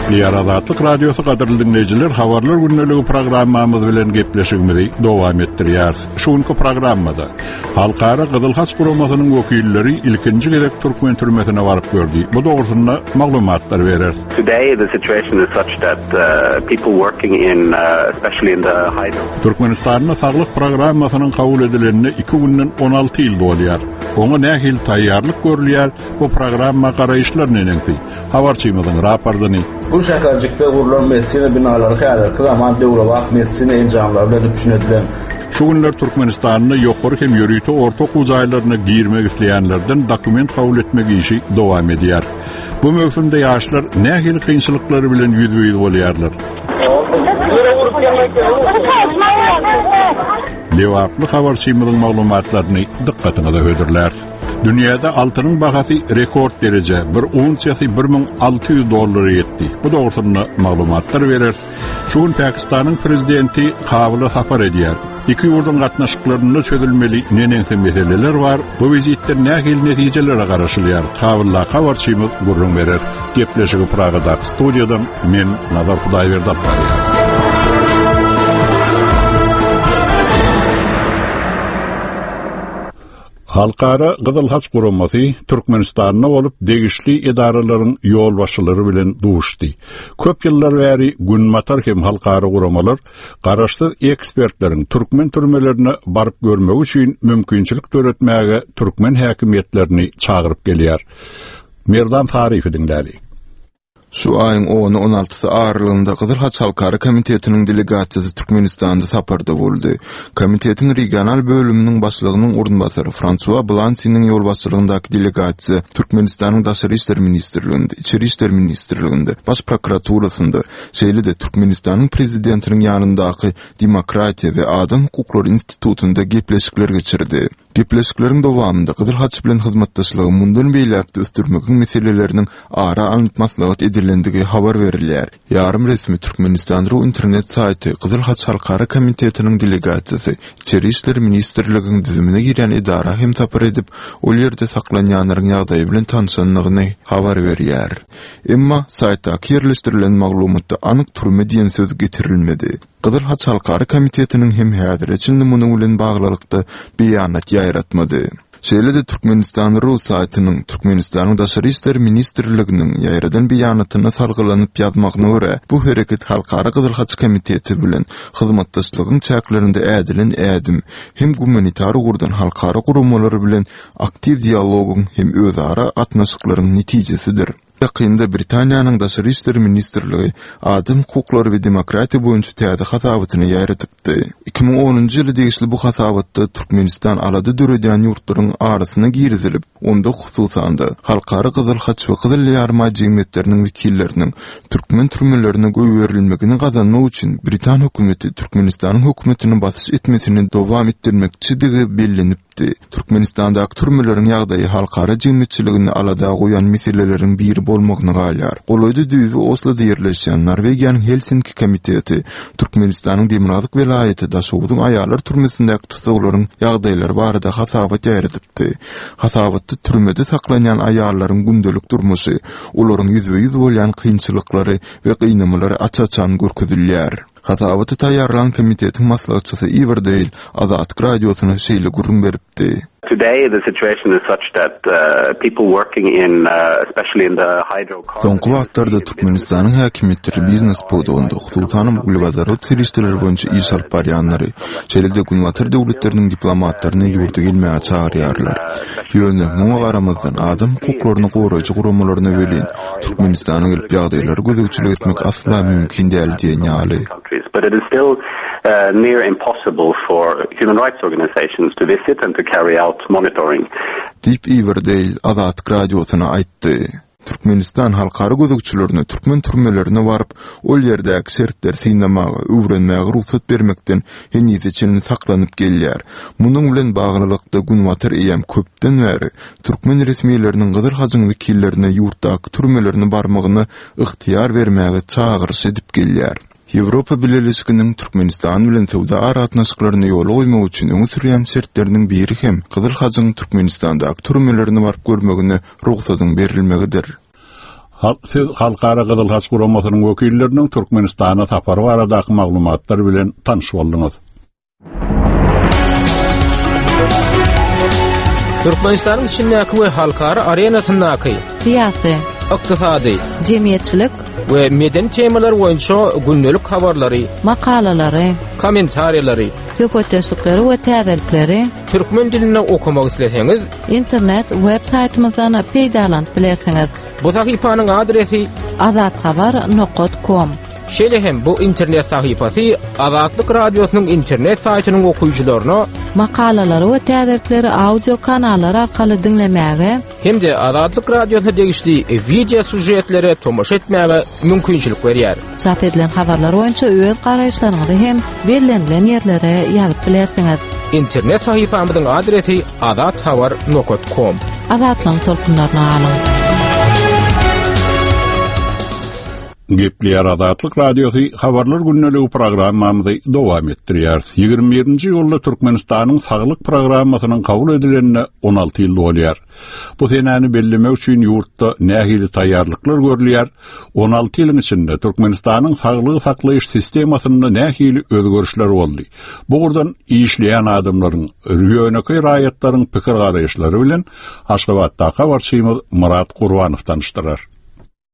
Gepleýär Azatlyk Radiosy gadyrly diňleýjiler, habarlar gündeligi programmamyz bilen gepleşigimizi dowam etdirýäris. Şu günki programmada Halkara Gyzyl Haç guramasynyň wekilleri ilkinji gezek türkmen türmesine baryp gördi. Bu dogrusynda maglumatlar bereris. Today the situation is such that uh, people working in uh, especially in the hydro Türkmenistanda saglyk programmasynyň kabul edilenine 2 günden 16 ýyl dolýar. Oňa nähili taýýarlyk görülýär, bu programma garaýyşlar neneňsi? Habarçymyzyň raportyny. Bu şäherjikde gurlan medisina binalary häzirki zaman döwrebap medisina enjamlary bilen üpjün edilen. Şu günler Türkmenistanda ýokary hem ýörite orta okuw jaýlaryna girmek isleýänlerden dokument kabul etmek işi dowam edýär. Bu möwsümde ýaşlar nähili kynçylyklar bilen ýüzbe-ýüz bolýarlar? Lebaply habarçymyzyň maglumatlaryny dykgatyňyza hödürläris. Dünýäde altynyň bahasy rekord derejä, bir unsiýasy 1600 dollara ýetdi. Bu dogrusynda maglumatlar bereris. Şu gün Pakistanyň prezidenti Kabula sapar edýär. Iki ýurduň gatnaşyklarynda çözülmeli neneňsi meseleler bar, bu wizitden nähili netijelere garaşylýar, Kabuldaky habarçymyz gürrüň berer. Gepleşigi Pragadaky studiýadan men Nazar Hudaýberdi alyp barýan. Halkara Gyzyl Haç guramasy Türkmenistanda bolup, degişli edaralaryň ýolbaşçylary bilen duşdy. Köp ýyllar bäri Günbatar hem halkara guramalar garaşsyz ekspertleriň türkmen türmelerine baryp görmegi üçin mümkinçilik döretmäge türkmen häkimiýetlerini çagyryp gelýär. Merdan Saryýewi diňläli. Şu aýyň ony-on altysy aralygynda Gyzyl Haç Halkara komitetiniň delegasiýasy Türkmenistanda saparda boldy. Komitetiň regional bölüminiň başlygynyň orunbasary Fransua Blansiniň ýolbaşçylygyndaky delegasiýa Türkmenistanyň Daşary işler ministrliginde, Içeri işler ministrliginde, Baş prokuraturasynda, şeýle-de Türkmenistanyň Prezidentiniň ýanyndaky Demokratiýa we adam hukuklary institutynda gepleşikler geçirdi. Gepleşikleriň dowamynda Gyzyl Haç bilen hyzmatdaşlygy mundan beýläk-de ösdürmegiň meseleleriniň ara alnyp maslahat edilendigi habar berilýär. Ýarym resmi Türkmenistan. Ru internet saýty Gyzyl Haç Halkara komitetiniň delegasiýasy Içeri işler ministrligiň düzümine girýän edara hem sapar edip, ol ýerde saklanýanlaryň ýagdaýy bilen tanşandygyny habar berýär. Emma, saýtdaky ýerleşdirilen maglumatda anyk türme diýen söz getirilmedi. Gyzyl Haç Halkara komitetiniň hem häzire çenli munuň bilen baglylykda beýanat ýaýratmady. Şeýle-de Türkmenistan. Ru saýtynyň Türkmenistanyň Daşary işler ministrliginiň ýaýradan beýanatyna salgylanyp ýazmagyna görä, bu hereket Halkara Gyzyl Haç Komiteti bilen hyzmatdaşlygyň çäklerinde ädilen ädim hem gumanitar ugurdan halkara guramalary bilen aktiw dialogyň hem özara gatnaşyklaryň netijesidir. Ýakynda Britaniýanyň Daşary işler ministrligi adam hukuklary we demokratiýa boýunça täze hasabatyny ýaýradypdy. 2010-njy ýyla degişli bu hasabatda Türkmenistan alada döredýän ýurtlaryň arasyna girizilip, onda hususan-da, Halkara Gyzyl Haç we Gyzyl Ýarymaý jemgyýetleriniň wekilleriniň türkmen türmelerine goýberilmegini gazanmak üçin britan hökümeti Türkmenistanyň hökümetine basyş etmesini dowam etdirmekçidigi bellenipdi. aýtdy. Türkmenistandaky türmeleriň ýagdaýy halkara jemgyýetçiligini alada goýan meseleleriň biri bolmagyna galýar. Golaýda düýbi Osloda ýerleşýän Norwegiýanyň Helsinki komiteti Türkmenistanyň demirgazyk welaýaty Daşoguzyň aýallar türmesindäki tussaglaryň ýagdaýlary barada hasabat ýaýradypdy. Hasabatda türmede saklanýan aýallaryň gündelik durmuşy, olaryň ýüzbe-ýüz bolýan kynçylyklary we gynamalary aç-açan görkezilýär. Hasabaty taýýarlan komitetiň maslahatçysy Iwer Deýl Azatlyk Radiosyna şeýle gürrüň beripdi. Today the situation is such that people working in especially in the hydrocarbon Soňky wagtlarda Türkmenistanyň häkimiýetleri biznes pudagynda, hususanam uglewodorod serişdeleri boýunça iş alyp barýanlary, şeýle-de Günbatar döwletleriniň diplomatlaryny ýurda gelmäge çagyrýarlar. Ýöne, muňa garamazdan, adam hukuklaryny goraýjy guramalaryna welin, Türkmenistana gelip ýagdaýlara gözegçilik etmek asla mümkin däl diýen ýaly. Diýip, Iwer Deýl Azatlyk Radiosyna aýtdy. Türkmenistan halkara gözegçilerine türkmen türmelerine baryp, ol ýerdäki şertleri synlamaga, öwrenmäge rugsat bermekden henize çenli saklanyp gelýär. Munuň bilen baglylykda, Günbatar eýýäm köpden bäri türkmen resmileriniň Gyzyl Hajyň wekillerine ýurtdaky türmelerine barmagyna ygtyýar bermäge çagyryş edip gelýär. Ýewropa Bileleşiginiň Türkmenistan bilen söwda aragatnaşyklaryny ýola goýmak üçin öňe sürýän şertleriniň biri hem Gyzyl Hajyň Türkmenistandaky türmelerine baryp görmegine rugsadyň berilmegidir. Siz Halkara Gyzyl Haç Guramasynyň wekilleriniň Türkmenistana sapary baradaky maglumatlar bilen tanyş bolduňyz. Türkmenistanyň içindäki we halkara arenasyndaky syýasy, ykdysady, jemgyýetçilik we medeni temalar boýunça gündelik habarlary, makalalary, kommentariýalary, söhbetdeşlikleri we täzelikleri türkmen dilinde okamak isleseňiz, internet web saýtymyzdan peýdalanyp bilersiňiz. Bu sahypanyň adresi azathabar nokat kom. Şeýle hem bu internet sahypasy Azatlyk Radiosynyň internet saýtynyň okyjylaryna makalalary we täzelikleri audio kanallar arkaly diňlemäge hem-de Azatlyk Radiosyna degişli wideo sýužetlere tomaşa etmäge mümkinçilik berýär. Çap edilen habarlar boýunça öz garaýyşlaryňyzy hem bellenilen ýerlere ýazyp bilersiňiz. Internet sahypamyzyň adresi azathabar nokat kom. Azatlygyň tolkunlaryna galyň! Gepleýär Azatlyk Radiosy Habarlar gündeligi programmamyzy dowam etdirýäris. 21-nji iýulda Türkmenistanyň Saglyk programmasynyň kabul edilenine 16 ýyl dolýar. Bu senäni bellemek üçin ýurtda nähili taýýarlyklar görülýär? 16 ýylyň içinde Türkmenistanyň saglygy saklaýyş sistemasynda nähili özgerişler boldy? Bu ugurdan işleýän adamlaryň, ýönekeý raýatlaryň pikir-garaýyşlary bilen Aşgabatdaky habarçymyz Myrat Gurbanow tanyşdyrar.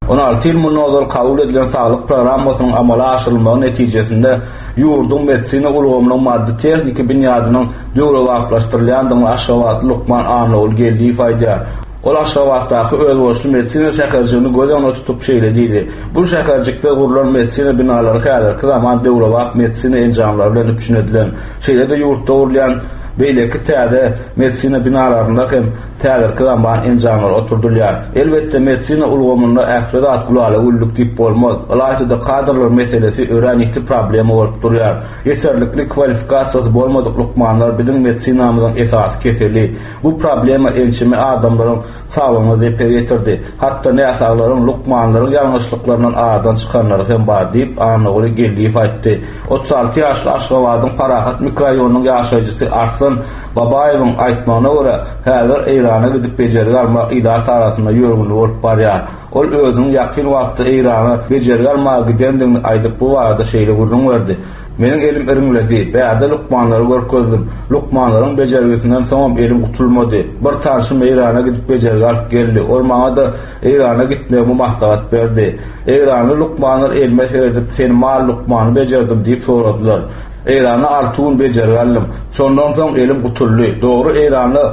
16 ýyl mundan ozal kabul edilen saglyk programmasynyň amala aşyrylmagy netijesinde ýurduň medisina ulgamynyň maddy-tehniki binýadynyň döwrebaplaşdyrylýandygyny aşgabatly lukman Annagul Geldiýew aýdýar. Ol Aşgabatdaky özboluşly medisina şäherjigini göz öňünde tutup şeýle diýdi, Bu şäherjikde gurlan medisina binalary häzirki zaman döwrebap medisina enjamlary bilen üpjün edilen. Şeýle-de ýurtda gurulýan beýleki täze medisina binalarynda hem Häzirki zaman enjamlary oturdylýar. Elbetde, medisina ulgamynda ähli zat gülala-güllük diýip bolmaz. Ylaýta-da kadrlar meselesi örän ýiti problema bolup durýar. Ýeterlikli kwalifikasiýasy bolmadyk lukmanlar biziň medisinamyzyň esasy keseli. Bu problema ençeme adamlaryň saglygyna zeper ýetirdi. Hatda näsaglaryň lukmanlaryň ýalňyşlyklaryndan aradan çykanlary hem bar diýip, Annaguly Geldiýew aýtdy. 36 ýaşly Aşgabadyň Parahat mikroraýonynyň ýaşaýjysy Arslan Babaýewiň aýtmagyna görä, häzir Eýrana gidip bejergi almak ilat arasynda ýörgünli bolup barýar. Ol özüniň ýakyn wagtda Eýrana bejergi almaga gidendigini aýdyp, bu barada şeýle gürrüň berdi, Meniň elim iriňledi. Bärde lukmanlara görkezdim. Lukmanlaryň bejergisinden soňam elim gutulmady. Bir tanşym Eýrana gidip bejergi alyp geldi. Ol maňa-da Eýrana gitmegimi maslahat berdi. Eýranly lukmanlar elime seredip, Seni mal lukmany bejerdim diýip soradylar. Eýranda alty gün bejergi aldym. Şondan soň elim gutuldy. Dogry Eýranda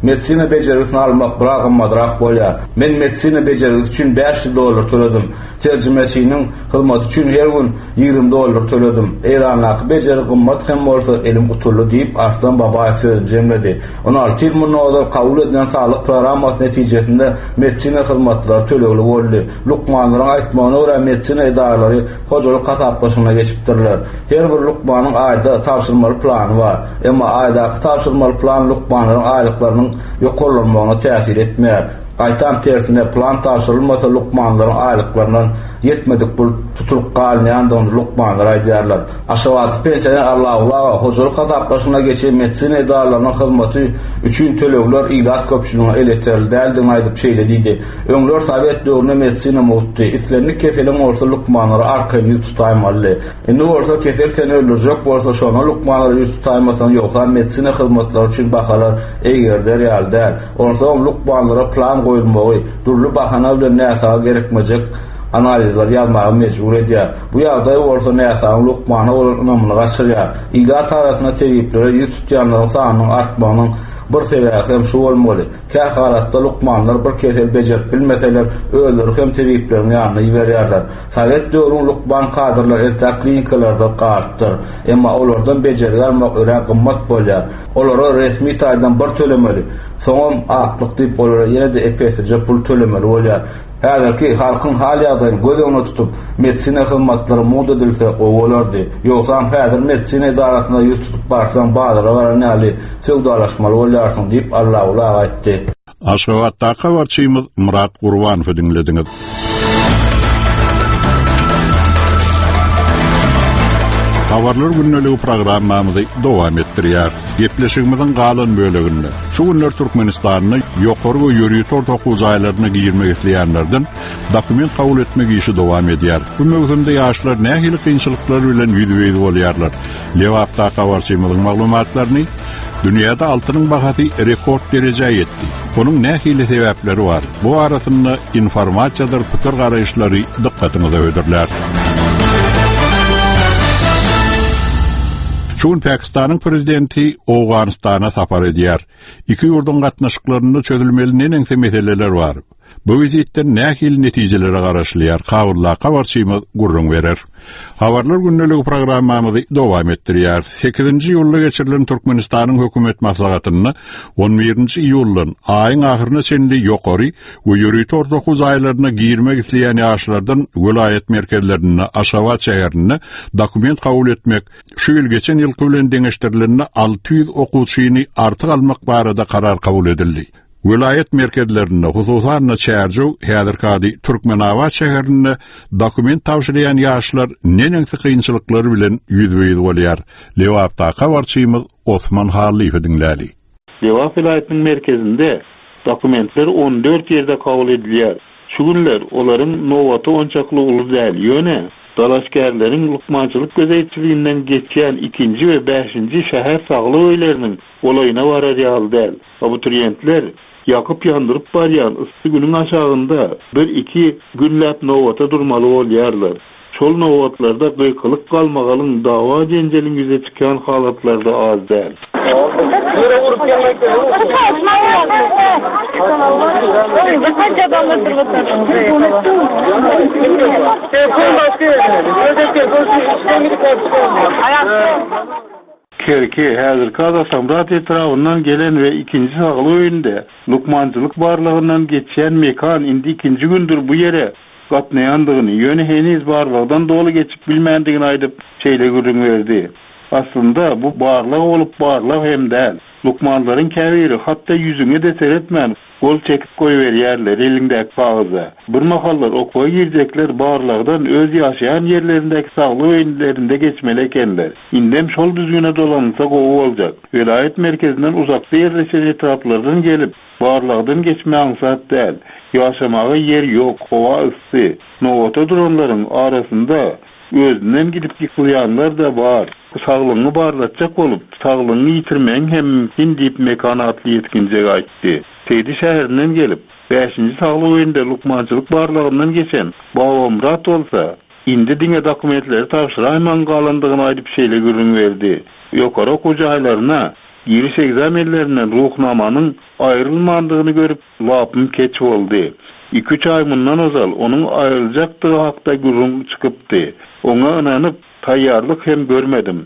medisina bejergisini almak biraz gymmadrak bolýar. Men medisina bejergisi üçin 500 dollar töledim. Terjimeçiniň hyzmaty üçin her gün 20 dollar töledim. Eýrandaky bejergi gymmat hem bolsa elim gutuldy diýip, Arslan Babaýew sözüni jemledi. 16 ýyl mundan ozal kabul edilen saglyk programmasy netijesinde medisina hyzmatlary tölegli boldy. Lukmanlaryň aýtmagyna görä medisina edaralary hojalyk hasaplaşygyna geçipdirler. Her bir lukmanyň aýda tabşyrmaly plany bar. Emma aýdaky tabşyrmaly plan lukmanlaryň aýlyklarynyň ýokarlanmagyna täsir etmeýär. Gaýtam tersine, plan tabşyrylmasa lukmanlaryň aýlyklaryndan ýetmedik pul tutulyp galynýandygyny lukmanlar aýdýarlar. Aşgabatly pensioner Allaguly aga hojalyk hasaplaşygyna geçen medisina edaralarynyň hyzmaty üçin tölegler ilat köpçüligine elýeterli däldigini aýdyp şeýle diýdi, Öňler sowet döwründe medisina mugtdy. Islendik keseliň bolsa lukmanlara arkaýyn ýüz tutaýmalydy. Indi bolsa kesel seni öldürjek bolsa şonda lukmanlara ýüz tutaýmasaň ýogsam medisina hyzmatlary üçin bahalar eýgerder ýaly däl. Onsoňam lukmanlara plan goýulmagy, dürli bahana bilen näsaga gerekmejek analizleri ýazmaga mejbur edýär. Bu ýagdaý bolsa näsagyň lukmana bolan ynamyny gaçyrýar. Ilat arasynda tebiplere ýüz tutýanlaryň sanynyň artmagynyň bir sebäbi hem şu bolmaly. Kähalatda lukmanlar bir keseli bejerip bilmeseler, özleri hem tebipleriň ýanyna iberýärler. Sowet döwrüň lukman kadrlary entäk klinikalarda galypdyr. Emma olardan bejergi almak örän gymmat bolýar. Olara resmi taýdan bir tölemeli, soňam aklyk diýip olara ýene-de ep-eslije pul tölemeli bolýar. Häzirki halkyň hal-ýagdaýyny göz öňünde tutup, medisina hyzmatlary mugt edilse gowy bolardy. Ýogsam häzir medisina edarasyna ýüz tutup barsaň bazara baran ýaly söwdalaşmaly bolýarsyň diýip, Allaguly aga aýtdy. Aşgabatdaky habarçymyz Myrat Gurbanowy diňlediňiz. Habarlar gündeligi programmamyzy dowam etdirýäris. Gepleşigimiziň galan böleginde şu günler Türkmenistanda ýokary we ýörite orta okuw jaýlaryna girmek isleýänlerden dokument kabul etmek işi dowam edýär. Bu möwsümde ýaşlar nähili kynçylyklar bilen ýüzbe-ýüz bolýarlar? Lebapdaky habarçymyzyň maglumatlaryny Dünýäde altynyň bahasy rekord derejä ýetdi. Onuň nähili sebäpleri bar? Bu barasynda informasiýadyr pikir-garaýyşlary dykgatyňyza hödürläris. Şu gün Pakistanyň prezidenti Owganystana sapar edýär. Iki ýurduň gatnaşyklarynda çözülmeli neneňsi meseleler bar? Bu wizitden nähili netijelere garaşylýar, Kabuldaky habarçymyz gürrüň berer. Habarlar gündeligi programmamyzy dowam etdirýäris. Sekizinji iýulda geçirilen Türkmenistanyň hökümet maslahatynda on birinji iýuldan aýyň ahyryna çenli ýokary we ýörite orta okuw jaýlaryna girmek isleýän ýaşlardan welaýat merkezlerinde, Aşgabat şäherinde dokument kabul etmek, şu ýyl geçen ýylky bilen deňeşdirilende 600 okuwçyny artyk almak barada karar kabul edildi. Welaýat merkezlerinde, hususan-da Çärjew, häzirki ady Türkmenabat şäherinde dokument tabşyrýan ýaşlar neneňsi kynçylyklar bilen ýüzbe-ýüz bolýar? Lebapdaky habarçymyz Osman Hallyýewi diňläli. Lebap welaýatynyň merkezinde dokumentler 14 ýerde kabul edilýär. Şu günler olaryň nobaty onçakly uly däl, ýöne dalaşgärleriň lukmançylyk gözegçiliginden geçýän ikinji we bäşinji şäher saglyk öýleriniň golaýyna barar ýaly däl. Abituriýentler ýakyp-ýandyryp barýan yssy günüň aşagynda bir-iki günläp nobata durmaly bolýarlar. Şol nobatlarda gykylyk-galmagalyň, dawa-jenjeliň ýüze çykýan halatlary-da az däl. Kerki, häzirki Azasamrat etrabyndan gelen we ikinji saglyk öýünde lukmançylyk barlagyndan geçýän Mekan indi ikinji gündür bu ýere gatnaýandygyny, ýöne heniz barlagdan doly geçip bilmändigini aýdyp, şeýle gürrüň berdi, Aslynda, bu barlag bolup barlag hem däl. Lukmanlaryň käbiri hatda ýüzüňe-de seretmän, Gol çekip goýberýärler eliňdäki kagyza. Bir mahallar okuwa girjekler barlagdan öz ýaşaýan ýerlerindäki saglyk öýlerinde geçmeli ekenler. Indem şol düzgüne dolanylsa gowy boljak. Welaýat merkezinden uzakda ýerleşen etraplardan gelip, barlagdan geçme aňsat däl. Ýaşamaga ýer ýok, howa yssy. Nobata duranlaryň arasynda özünden gidip ýykylýanlar-da bar. Saglygyňy barlatjak bolup, saglygyňy ýitirmegiň hem mümkin diýip, Mekan atly ýetginjek aýtdy. Seýdi şäherinden gelip, bäşinji saglyk öýünde lukmançylyk barlagyndan geçen Babamyrat bolsa, indi diňe dokumentleri tabşyraýmagyň galandygyny aýdyp şeýle gürrüň berdi, Ýokary okuw jaýlaryna giriş ekzamenlerinden Ruhnamanyň aýrylmandygyny görüp, Lapym keç boldy. Iküç aý mundan ozal onuň aýryljakdygy hakda gürrüň çykypdy. Oňa ynanyp, taýýarlyk hem görmedim.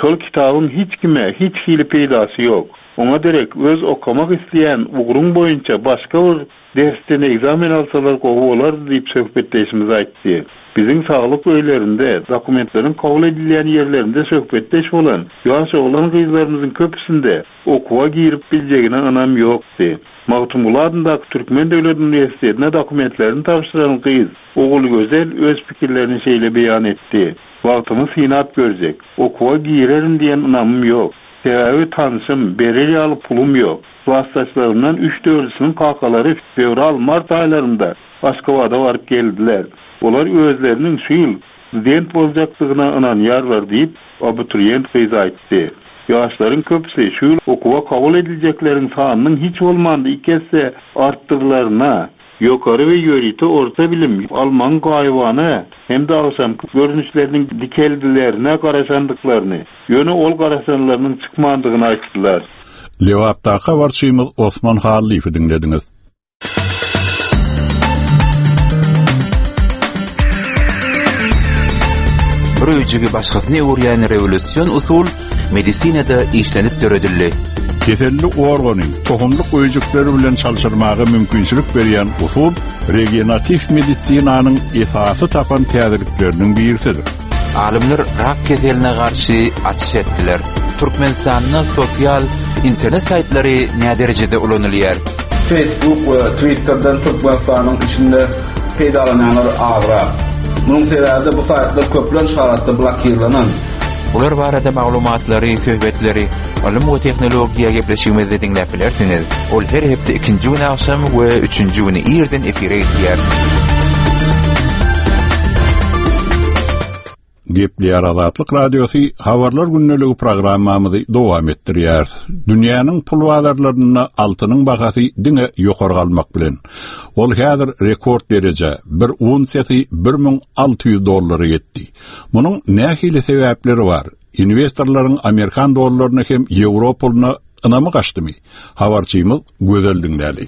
Şol kitabyň hiç kime hiç hili peýdasy ýok. Oňa derek öz okamak isleýän ugruň boýunça başga bir dersden ekzamen alsalar gowy bolardy diýip söhbetdeşimiz aýtdy. Biziň saglyk öýlerinde, dokumentleriň kabul edilýän ýerlerinde söhbetdeş bolan ýaş oglan-gyzlarymyzyň köpüsinde okuwa girip biljegine ynam ýokdy. Magtymguly adyndaky Türkmen döwlet uniwersitetine dokumentlerini tabşyran gyz Ogulgözel öz pikirlerini şeýle beýan etdi, Wagtymy synap görjek. Okuwa girerin diýen ynamym ýok. Sebäbi tanşym, berer ýaly pulum ýok. Klasdaşlarymdan üç-dördüsiniň kakalary fewral-mart aýlarynda Aşgabada baryp geldiler. Olar özleriniň şu ýyl student boljakdygyna ynanýarlar diýip, abituriýent gyz aýtdy. Ýaşlaryň köpüsi şu ýyl okuwa kabul ediljekleriň sanynyň hiç bolmanda iki esse artdyrylaryna, ýokary we ýörite orta bilim almagyň gaýybana hem-de agşamky görnüşleriniň dikeldilerine garaşandyklaryny, ýöne ol garaşanlarynyň çykmandygyny aýtdylar. Lebapdaky habarçymyz Osman Hallyýewi diňlediňiz. Bir öýjügi başgasyna öwürýän rewolýusion usul medisinada işlenip döredildi. Keselli organy tohumlyk öýjükleri bilen çalşyrmaga mümkinçilik berýän usul regenatiw medisinanyň esasy tapan täzelikleriniň birisidir. Alymlar rak keseline garşy açyş etdiler. Türkmenistanda sosial internet saýtlary näderejede ulanylýar? Facebook we Twitterden Türkmenistanyň içinde peýdalanýanlar azrak. Munuň sebäbi-de bu saýtlar köplenç halatda blokirlenen. Bular barada maglumatlary, söhbetleri Ylym we tehnologiýa gepleşigimizde diňläp bilersiňiz. Ol her hepde ikinji güni agşam we üçünji güni irden efire gidýär. Gepleýär Azatlyk Radiosy Habarlar gündeligi programmamyzy dowam etdirýär. Dünýäniň pul bazarlarynda altynyň bahasy diňe ýokary galmak bilen. Ol häzir rekord derejä, bir unsiýasy 1600 dollara ýetdi. Munuň nähili sebäpleri bar? Inwestorlaryň amerikan dollaryna hem ýewro puluna ynamy gaçdymy? Habarçymyz Gözel diňläli.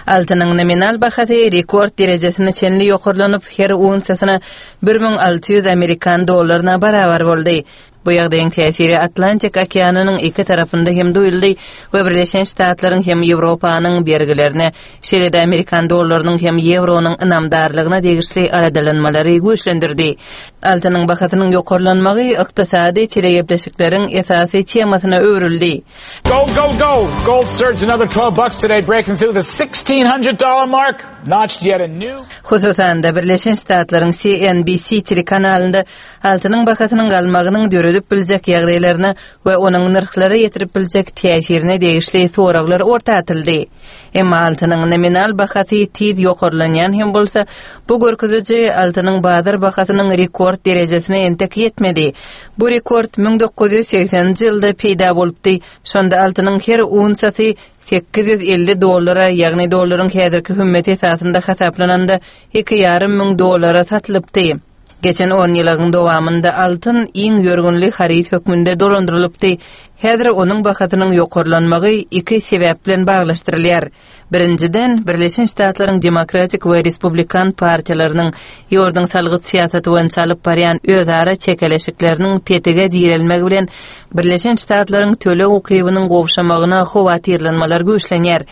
Altynyň nominal bahasy rekord derejesine çenli ýokarlanyp, her unsiýasyna 1600 amerikan dollaryna barabar boldy. Bu ýagdaýyň täsiri Atlantik okeanynyň iki tarapynda hem duýuldy we Birleşen Ştatlaryň hem Ýewropanyň bergilerine, şeýle-de amerikan dollarynyň hem ýewronyň ynamdarlygyna degişli aladalanmalary güýçlendirdi. Altynyň bahasynyň ýokarlanmagy ykdysady telegepleşikleriň esasy temasyna öwrüldi. Gold, gold, gold. Gold surged another 12 bucks today, breaking through the $1,600 mark, notched yet a new... Hususan-da, Birleşen Ştatlaryň CNBC telekanalynda altynyň bahasynyň galmagynyň döredip biljek ýagdaýlaryna we onuň nyrhlara ýetirip biljek täsirine degişli soraglar orta atyldy. Emma altynyň nominal bahasy tiz ýokarlanýan hem bolsa, bu görkeziji altynyň bazar bahasynyň rekord derejesine entek ýetmedi. Bu rekord 1980-nji ýylda peýda bolupdy, şonda altynyň her unsiýasy 850 dollara, ýagny dollaryň häzirki hümmeti esasynda hasaplananda, iki ýarym müň dollara satylypdy. Geçen onýylygyň dowamynda altyn iň ýörgünli haryt hökmünde dolandyrylypdy. Häzir onuň bahasynyň ýokarlanmagy iki sebäp bilen baglaşdyrylýar. Birinjiden, Birleşen Ştatlaryň Demokratik we Respublikan partiýalarynyň ýurduň salgyt syýasaty boýunça alyp barýan özara çekeleşikleriniň petige direlmegi bilen Birleşen Ştatlaryň töleg ukybynyň gowşamagyna howatyrlanmalar güýçlenýär.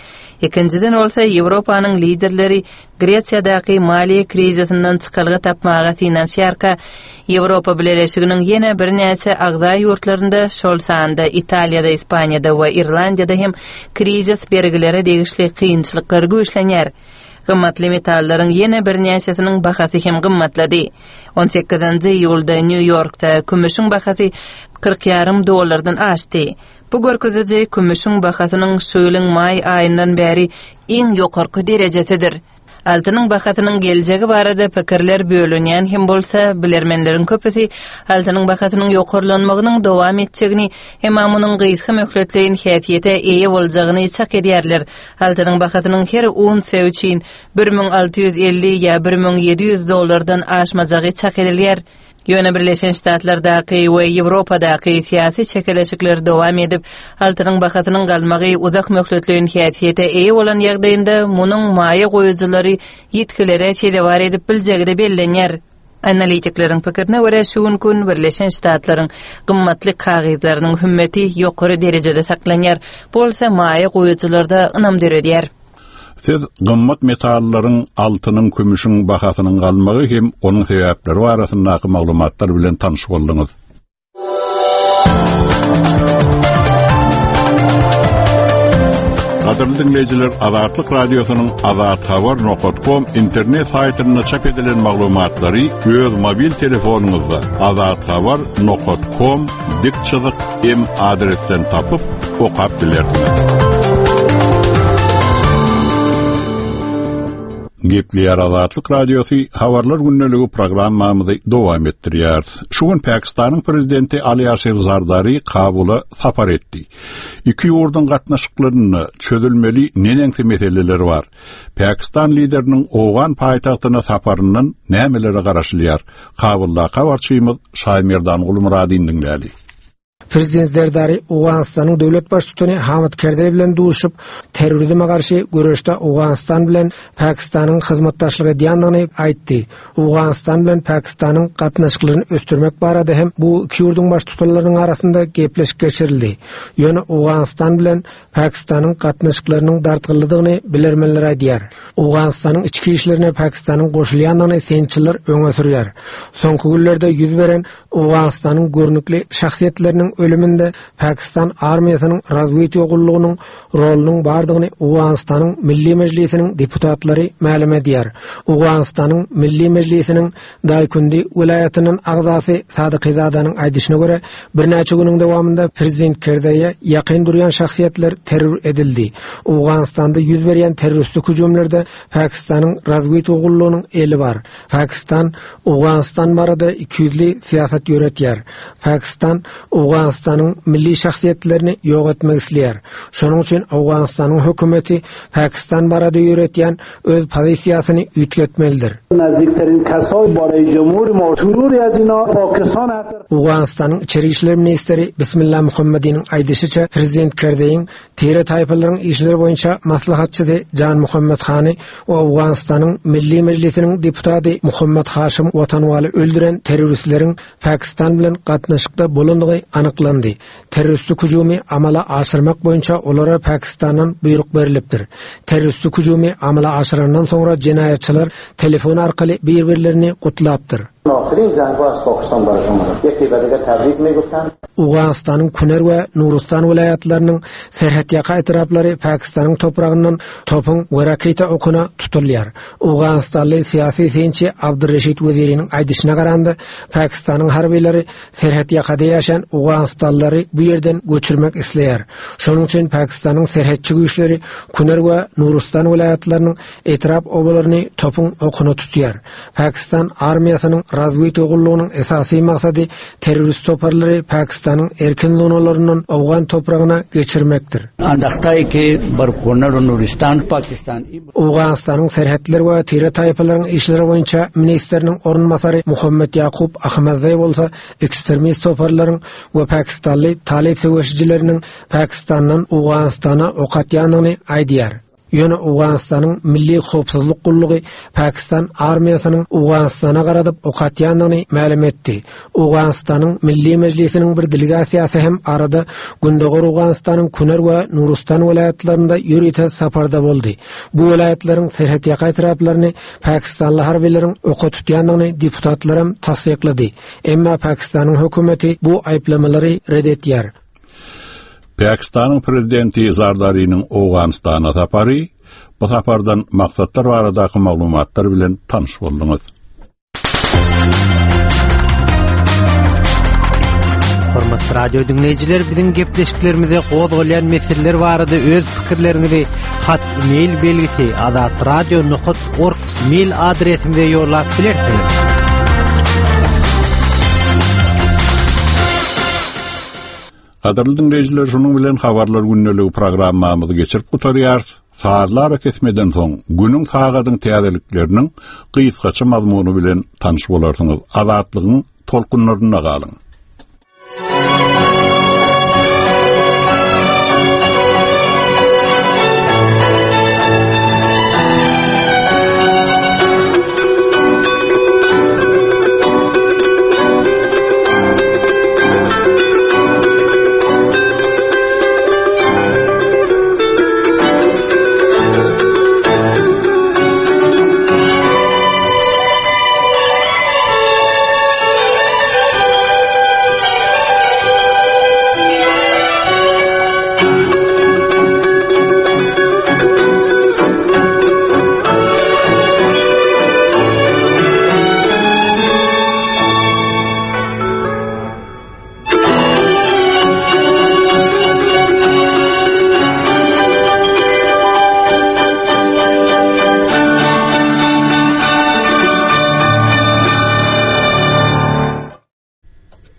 Ikinjiden bolsa, Ýewropanyň liderleri Gresiýadaky maliýe krizisinden çykalga tapmaga synanyşýarka, Ýewropa Bileleşiginiň ýene birnäçe agza ýurtlarynda, şol sanda Italiýada, Ispaniýada we Irlandiýada hem krizis bergilere degişli kynçylyklar güýçlenýär. Gymmatly metallaryň ýene birnäçesiniň bahasy hem gymmatlady. On sekizinji iýulda Nýu-Ýorkda kümüşiň bahasy 40 ýarym dollardan aşdy. Bu görkeziji kümüşiň bahasynyň şu ýylyň maý aýyndan bäri iň ýokarky derejesidir. Altynyň bahasynyň geljegi barada pikirler bölünýän hem bolsa, bilermenleriň köpüsi altynyň bahasynyň ýokarlanmagynyň dowam etjegini, emma munuň gysga möhletleýin häsiýete eýe boljagyny çak edýärler. Altynyň bahasynyň her unsiýa üçin 1650 ýa 1700 dollardan aşmajagy çak edilýär. Ýöne Birleşen Ştatlardaky we Ýewropadaky syýasy çekeleşikler dowam edip, altynyň bahasynyň galmagy uzak möhletleýin häsiýete eýe bolan ýagdaýynda munuň maýa goýujylary ýitgilere sezewar edip biljegi-de bellenýär. Analitikleriň pikirine görä, şu günki gün Birleşen Ştatlaryň gymmatly kagyzlarynyň hümmeti ýokary derejede saklanýar, bu bolsa maýa goýujylarda ynam döredýär. Siz gymmat metallaryň, altynyň, kümüşiň bahasynyň galmagy hem onuň sebäpleri barasyndaky maglumatlar bilen tanyş bolduňyz. Gadyrly diňleýjiler, Azatlyk Radiosynyň azathabar nokat kom internet saýtynda çap edilen maglumatlary öz mobil telefonyňyzda azathabar nokat kom dik çyzyk M adresden tapyp, okap bilersiňiz. Gepleýär Azatlyk Radiosy Habarlar gündeligi programmamyzy dowam etdirýäris. Şu gün Pakistanyň prezidenti Ali Aşir Zardari Kabula sapar etdi. Iki ýurduň gatnaşyklarynda çözülmeli neneňsi meseleler bar? Pakistan lideriniň owgan paýtagtyna saparyndan nämelere garaşylýar? Kabuldaky habarçymyz Şaýmerdan Gulmyradyny diňläli. Prezident Zerdari Owganystanyň döwlet baştutany Hamid Kerzeý bilen duşup, terrorizme garşy göreşde Owganystan bilen Pakistanyň hyzmatdaşlyk edýändigini aýtdy. Owganystan bilen Pakistanyň gatnaşyklaryny ösdürmek barada hem bu iki ýurduň baştutanlarynyň arasynda gepleşik geçirildi. Ýöne Owganystan bilen Pakistanyň gatnaşyklarynyň dartgynlydygyny bilermenler aýdýar. Owganystanyň içki işlerine Pakistanyň goşulýandygyny synçylar öňe sürýär. Soňky günlerde ýüz beren Owganystanyň görnükli şahsyýetleriniň ölüminde Pakistan armiýasynyň razwedka gullugynyň rolunyň bardygyny Owganystanyň Milli Mejlisiniň deputatlary mälim edýär. Owganystanyň Milli Mejlisiniň Daýkundi welaýatyndan agzasy Sadykyzadanyň aýdyşyna görä, birnäçe günüň dowamynda prezident Kerzeýe ýakyn durýan şahsyýetler terror edildi. Owganystanda ýüz berýän terroristik hüjümlerde Pakistanyň razwedka gullugynyň eli bar. Pakistan Owganystan barada ikiýüzli syýasat ýöretýär. Pakistan Owganystanyň milli şahsyýetlerini ýok etmek isleýär. Şonuň üçin Owganystanyň hökümeti Pakistan barada ýöretýän öz pozisiýasyny üýtgetmelidir. Owganystanyň içeri işler ministri Bismillah Muhammadiniň aýdyşyça, prezident Kerzeýiň Tire-taýpalaryň işleri boýunça maslahatçysy Jan Muhammet Hany we Owganystanyň Milli Mejlisiniň deputady Muhammet Haşym Watanwaly öldüren terroristleriň Pakistan bilen gatnaşykda bolandygy anyklandy. Terroristik hüjümi amala aşyrmak boýunça olara Pakistandan buýruk berlipdir. Terroristik hüjümi amala aşyrandan soňra jenaýatçylar telefon arkaly bir-birlerini gutlapdyr. Owganystanyň Kuner we Nurustan welaýatlarynyň serhetýaka etraplary Pakistanyň topragyndan topuň we raketa okuna tutulýar. Owganystanly syýasy synçy Abdurreşit Weziriniň aýdyşyna garanda, Pakistanyň harbylary serhetýakada ýaşaýan owganystanlylary bu ýerden göçürmek isleýär. Şonuň üçin Pakistanyň serhetçi güýçleri Kuner we Nurustan welaýatlarynyň etrap obalaryny topuň okuna tutýar. Pakistan armiýasynyň razwedka gullugynyň esasy maksady terrorist toparlary Pakistanyň erkin zonalaryndan owgan topragyna geçirmekdir. Owganystanyň serhetler we tire-taýpalaryň işleri boýunça ministriniň orunbasary Muhammet Ýakup Ahmedzaý bolsa ekstremist toparlaryň we pakistanly talyp söweşijileriniň Pakistandan Owganystana ok atýandygyny aýdýar. Ýöne Owganystanyň Milli howpsuzlyk gullugy Pakistan armiýasynyň Owganystana garadyp ok atýandygyny mälim etdi. Owganystanyň Milli Mejlisiniň bir delegasiýasy hem arada Gündogar Owganystanyň Kuner we Nurustan welaýatlarynda ýörite saparda boldy. Bu welaýatlaryň serhetýaka etraplaryny pakistanly harbylaryň oka tutýandygyny deputatlaram tassyklady. Emma Pakistanyň hökümeti bu aýyplamalary ret edýär. Pakistanyň prezidenti Zardariniň Owganystana sapary, bu sapardan maksatlar baradaky maglumatlar bilen tanyş bolduňyz. Hormatly radio diňleýjiler, biziň gepleşiklerimize gozgalýan meseleler barada öz pikirleriňizi hat mail belgisi azatradio.org mail adresimize ýollap bilersiňiz. Gadyrly diňleýjiler, şunuň bilen Habarlar gündeligi programmamyzy geçirip gutarýarys. Sazly arakesmeden soň, günüň sagadyň täzelikleriniň gysgaça mazmuny bilen tanyş bolarsyňyz. Azatlygyň tolkunlarynda galyň!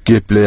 Gepleýär.